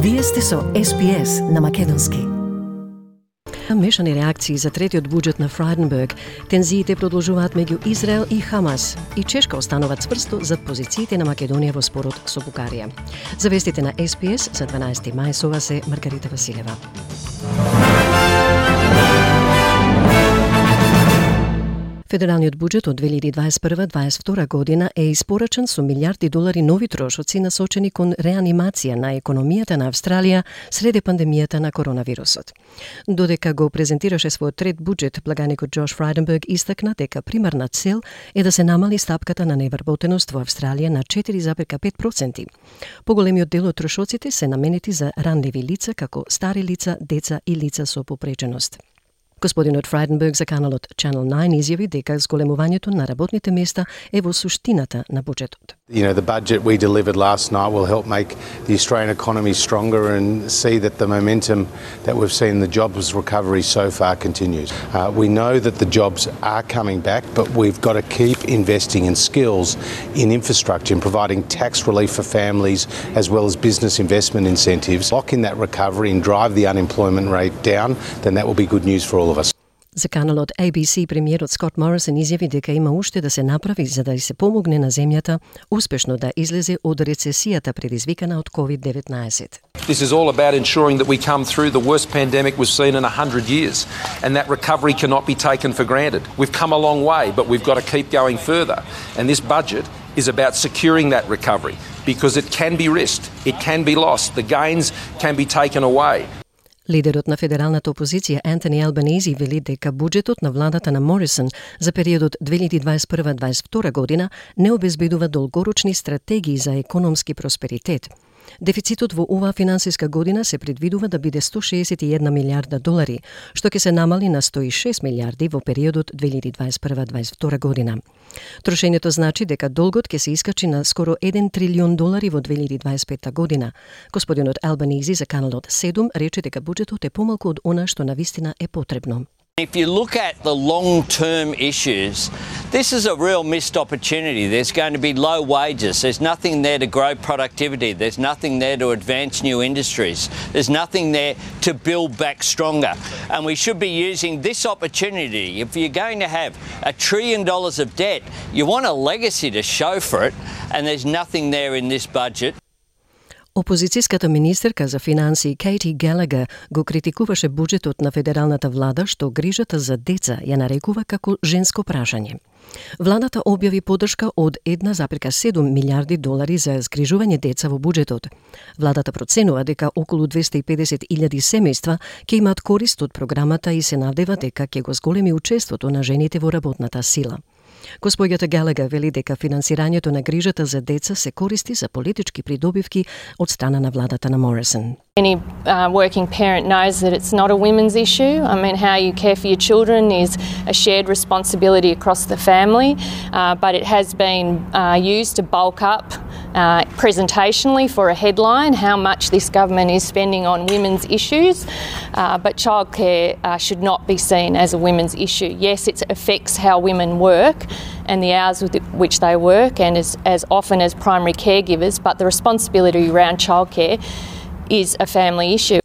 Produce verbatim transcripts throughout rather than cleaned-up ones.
Вие сте со Ес Би Ес на македонски. Мешани реакции за третиот буџет на Фрайденберг, тензиите продолжуваат меѓу Израел и Хамас и Чешка останува цврсто зад позициите на Македонија во спорот со Бугарија. За вестите на Ес Би Ес за дванаесети мај со вас е Маргарита Василева. Федералниот буџет од две илјади дваесет и прва - дваесет и втора година е испорачен со милијарди долари нови трошоци насочени кон реанимација на економијата на Австралија среде пандемијата на коронавирусот. Додека го презентираше својот трет буџет, благаникот Џош Фрайденберг истакна дека примарна цел е да се намали стапката на невработеност во Австралија на четири зарез и пет проценти. Поголемиот дел од трошоците се наменети за ранливи лица како стари лица, деца и лица со попреченост. Господинот Фрайденберг за каналот Channel nine изјави дека зголемувањето на работните места е во суштината на буџетот. You know, the budget we delivered last night will help make the Australian economy stronger and see that the momentum that we've seen in the jobs recovery so far continues. Uh, we know that the jobs are coming back, but we've got to keep investing in skills, in infrastructure, in providing tax relief for families as well as business investment incentives. Lock in that recovery and drive the unemployment rate down, then that will be good news for all of us. За каналот Ей Би Си премиерот Скот Морисон изјави дека има уште да се направи за да се помогне на земјата успешно да излезе од рецесијата предизвикана од ковид деветнаесет. This is all about ensuring that we come through the worst pandemic we've seen in one hundred years, and that recovery cannot be taken for granted. We've come a long way, but we've got to keep going further. And this budget is about securing that recovery because it can be risked, it can be lost, the gains can be taken away. Лидерот на федералната опозиција Ентони Албанези вели дека буџетот на владата на Морисон за периодот две илјади дваесет и прва - дваесет и втора година не обезбедува долгорочни стратегии за економски просперитет. Дефицитот во оваа финансиска година се предвидува да биде сто шеесет и една милијарда долари, што ќе се намали на сто и шест милијарди во периодот две илјади дваесет и прва - дваесет и втора година. Трошењето значи дека долгот ќе се искачи на скоро еден трилион долари во две илјади дваесет и пета година. Господинот Албанези за каналот седум рече дека буџетот е помалку од она што навистина е потребно. If you look at the long-term issues, this is a real missed opportunity. There's going to be low wages. There's nothing there to grow productivity. There's nothing there to advance new industries. There's nothing there to build back stronger. And we should be using this opportunity. If you're going to have a trillion dollars of debt, you want a legacy to show for it, and there's nothing there in this budget. Опозицијската министерка за финансии Кейти Гелегер го критикуваше буџетот на федералната влада што грижата за деца ја нарекува како женско прашање. Владата објави поддршка од една зарез и седум милијарди долари за згрижување деца во буџетот. Владата проценува дека околу двесте и педесет илјади семејства ќе имаат корист од програмата и се надева дека ќе го зголеми учеството на жените во работната сила. Господјата Гелегер вели дека финансирањето на грижата за деца се користи за политички придобивки од страна на владата на Морисон. Any uh, working parent knows that it's not a women's issue. I mean, how you care for your children is a shared responsibility across the family, uh, but it has been uh, used to bulk up uh, presentationally for a headline how much this government is spending on women's issues, uh, but childcare uh, should not be seen as a women's issue. Yes, it affects how women work and the hours with which they work and as, as often as primary caregivers, but the responsibility around childcare is a family issue.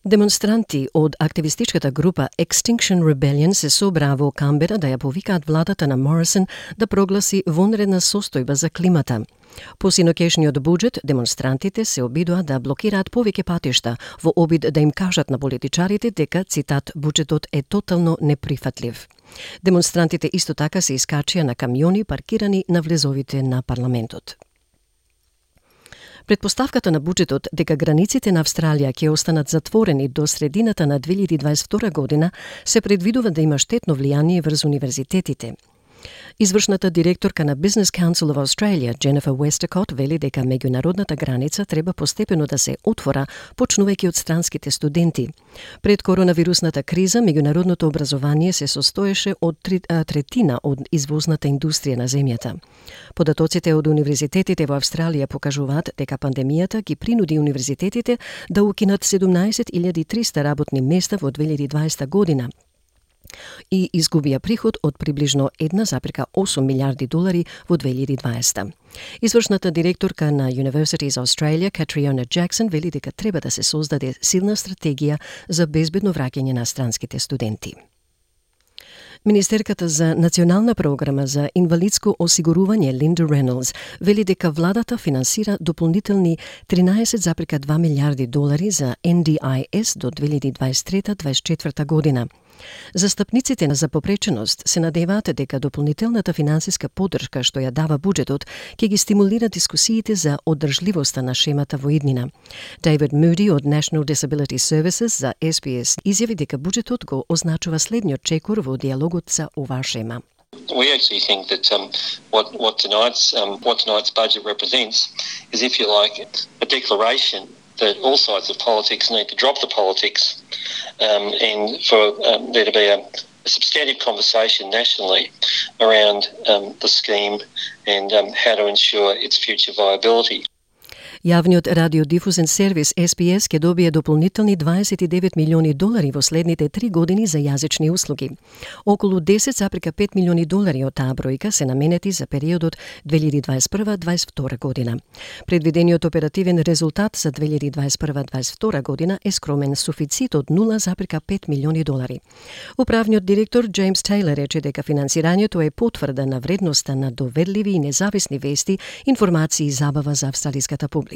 Демонстранти од активистичката група Extinction Rebellion се собраа во Камбера да ја повикаат владата на Морисон да прогласи вонредна состојба за климата. По синокешниот буџет, демонстрантите се обидоа да блокираат повеќе патишта во обид да им кажат на политичарите дека, цитат, буџетот е тотално неприфатлив. Демонстрантите исто така се искачија на камиони паркирани на влезовите на парламентот. Предпоставката на буџетот дека границите на Австралија ќе останат затворени до средината на две илјади дваесет и втора година се предвидува да има штетно влијание врз универзитетите. Извршната директорка на Business Council of Australia, Jennifer Westacott, вели дека меѓународната граница треба постепено да се отвора, почнувајќи од странските студенти. Пред коронавирусната криза, меѓународното образование се состоеше од третина од извозната индустрија на земјата. Податоците од универзитетите во Австралија покажуваат дека пандемијата ги принуди универзитетите да укинат седумнаесет илјади и триста работни места во две илјади и дваесета година. и изгубија приход од приближно една зарез осум милиарди долари во две илјади и дваесета. Извршната директорка на Universities Australia, Catriona Jackson, вели дека треба да се создаде силна стратегија за безбедно враќање на странските студенти. Министерката за национална програма за инвалидско осигурување Линда Рейнолдс вели дека владата финансира дополнителни тринаесет зарез два милиарди долари за Н Д I S до две илјади и дваесет и трета до дваесет и четврта година. Застапниците за попреченост се надеваат дека дополнителната финансиска поддршка што ја дава буџетот ќе ги стимулира дискусиите за одржливоста на шемата во иднина. David Moody од National Disability Services за S B S изјави дека буџетот го означува следниот чекор во диалогот за оваа шема. We actually think that um, what, what, tonight's, um, what tonight's budget represents is, if you like, a declaration that all sides of politics need to drop the politics um, and for um, there to be a, a substantive conversation nationally around um, the scheme and um, how to ensure its future viability. Јавниот радиодифузен сервис S B S ќе добие дополнителни дваесет и девет милиони долари во следните три години за јазични услуги. Околу десет зарез пет милиони долари од таа бројка се наменети за периодот две илјади и дваесет и прва до дваесет и втора година. Предвидениот оперативен резултат за две илјади и дваесет и прва до дваесет и втора година е скромен суфицит од нула зарез пет милиони долари. Управниот директор Джеймс Тейлор рече дека финансирањето е потврда на вредноста на доверливи и независни вести, информации и забава за австралиската публика.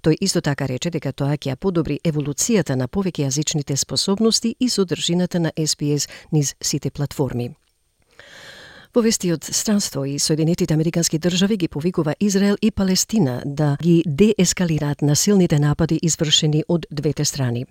Тој исто така рече дека тоа ќе ја подобри еволуцијата на повеќејазичните способности и содржината на S B S низ сите платформи. Во вести од странство и Соединетите Американски држави ги повикува Израел и Палестина да ги деескалираат насилните напади извршени од двете страни.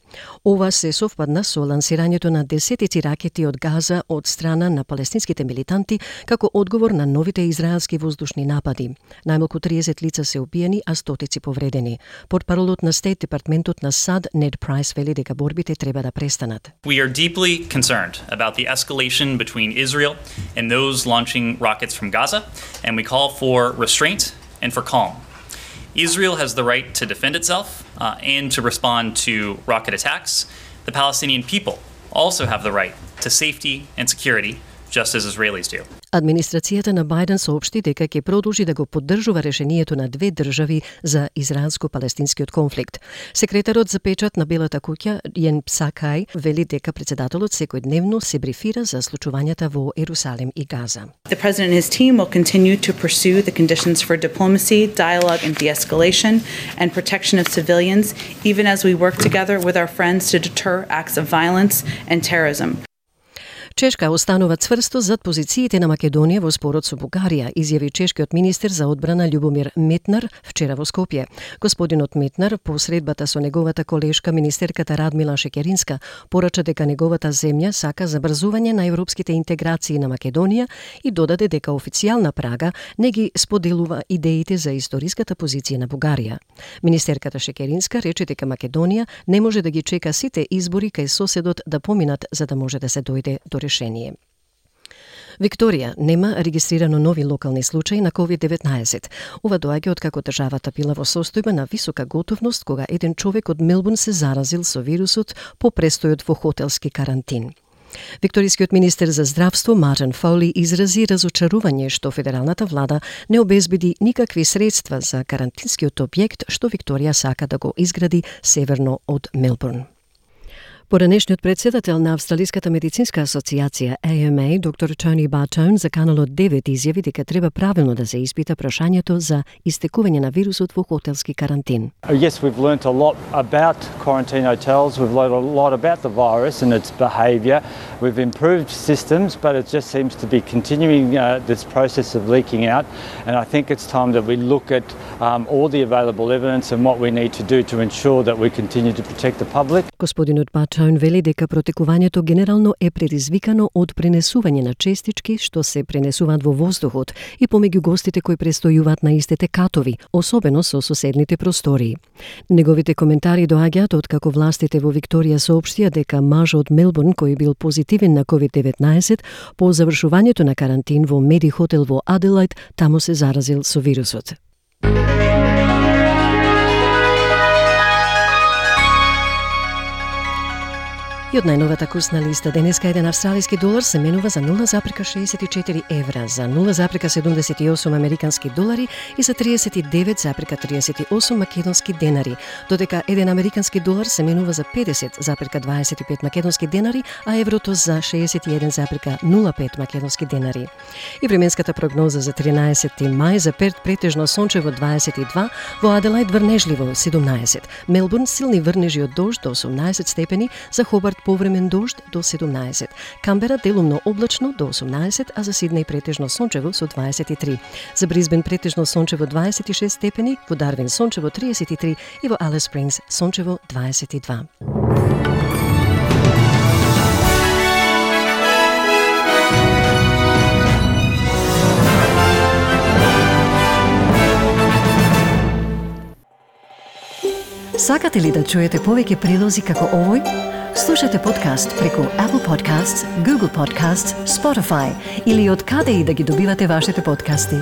Ова се совпадна со лансирањето на десетици ракети од Газа од страна на палестинските милитанти како одговор на новите израелски воздушни напади. Најмалку триесет лица се убиени, а стотици повредени. Портпаролот на Стейт департментот на САД Нед Прайс вели дека борбите треба да престанат. We are deeply concerned about the escalation between Israel and those launching rockets from Gaza, and we call for restraint and for calm. Israel has the right to defend itself uh, and to respond to rocket attacks. The Palestinian people also have the right to safety and security, just as Israelis do. Администрацијата на Бајден соопшти дека ќе продолжи да го поддржува решението на две држави за израелско-палестинскиот конфликт. Секретарот за печат на Белата куќа Јен Псакај вели дека председателот секојдневно се брифира за случувањата во Ерусалим и Газа. The president and his team will continue to pursue the conditions for diplomacy, dialogue and de-escalation and protection of civilians, even as we work together with our friends to deter acts of violence and terrorism. Чешка останува цврсто зад позициите на Македонија во спорот со Бугарија, изјави чешкиот министер за одбрана Љубомир Метнар вчера во Скопје. Господинот Метнар по средбата со неговата колешка министерката Радмила Шекеринска порача дека неговата земја сака забрзување на европските интеграции на Македонија и додаде дека официјална Прага не ги споделува идеите за историската позиција на Бугарија. Министерката Шекеринска рече дека Македонија не може да ги чека сите избори кај соседот да поминат за да може да се дојде до решение. Викторија нема регистрирано нови локални случаи на ковид деветнаесет. Ова доаѓа од како државата била во состојба на висока готовност кога еден човек од Мелбурн се заразил со вирусот по престојот во хотелски карантин. Викторискиот министер за здравство Мартин Фоли изрази разочарување што федералната влада не обезбеди никакви средства за карантинскиот објект што Викторија сака да го изгради северно од Мелбурн. Поранешниот председател на Австралиската медицинска асоциација A M A, доктор Тони Бартон, за Канал девет изјави дека треба правилно да се испита прашањето за истекување на вирусот во хотелски карантин. Yes, we've learnt a lot about quarantine hotels. We've learned a lot about the virus and its behaviour. We've improved systems, but it just seems to be continuing uh, this process of leaking out. And I think it's time that we look at um, all the available evidence and what we need to do to ensure that we continue to protect the public. Господинот Бартон вели дека протекувањето генерално е предизвикано од пренесување на честички што се пренесуваат во воздухот и помеѓу гостите кои престојуваат на истите катови, особено со соседните простории. Неговите коментари доаѓаат од како властите во Викторија соопштија дека маж од Мелбурн кој бил позитивен на ковид деветнаесет по завршувањето на карантин во Меди хотел во Аделајд таму се заразил со вирусот. И од најновата курсна листа денеска еден австралиски долар се менува за нула запирка шеесет и четири евра, за нула запирка седумдесет и осум американски долари и за триесет и девет запирка триесет и осум македонски денари, додека еден американски долар се менува за педесет запирка дваесет и пет македонски денари, а еврото за шеесет и еден запирка нула пет македонски денари. И временската прогноза за тринаесети мај за Перт претежно сончево дваесет и два, во Аделајд врнежливо седумнаесет, Мелбурн силни врнежи од дожд до осумнаесет степени, за Хобарт повремен дожд до седумнаесет, Камбера делумно облачно до осумнаесет, а за Сиднеј претежно сончево со дваесет и три. За Брисбен претежно сончево дваесет и шест степени, во Дарвин сончево триесет и три и во Алис Спрингс сончево дваесет и два. Сакате ли да чуете повеќе прилози како овој? Слушате подкаст преку Apple Podcasts, Google Podcasts, Spotify или од каде и да ги добивате вашите подкасти.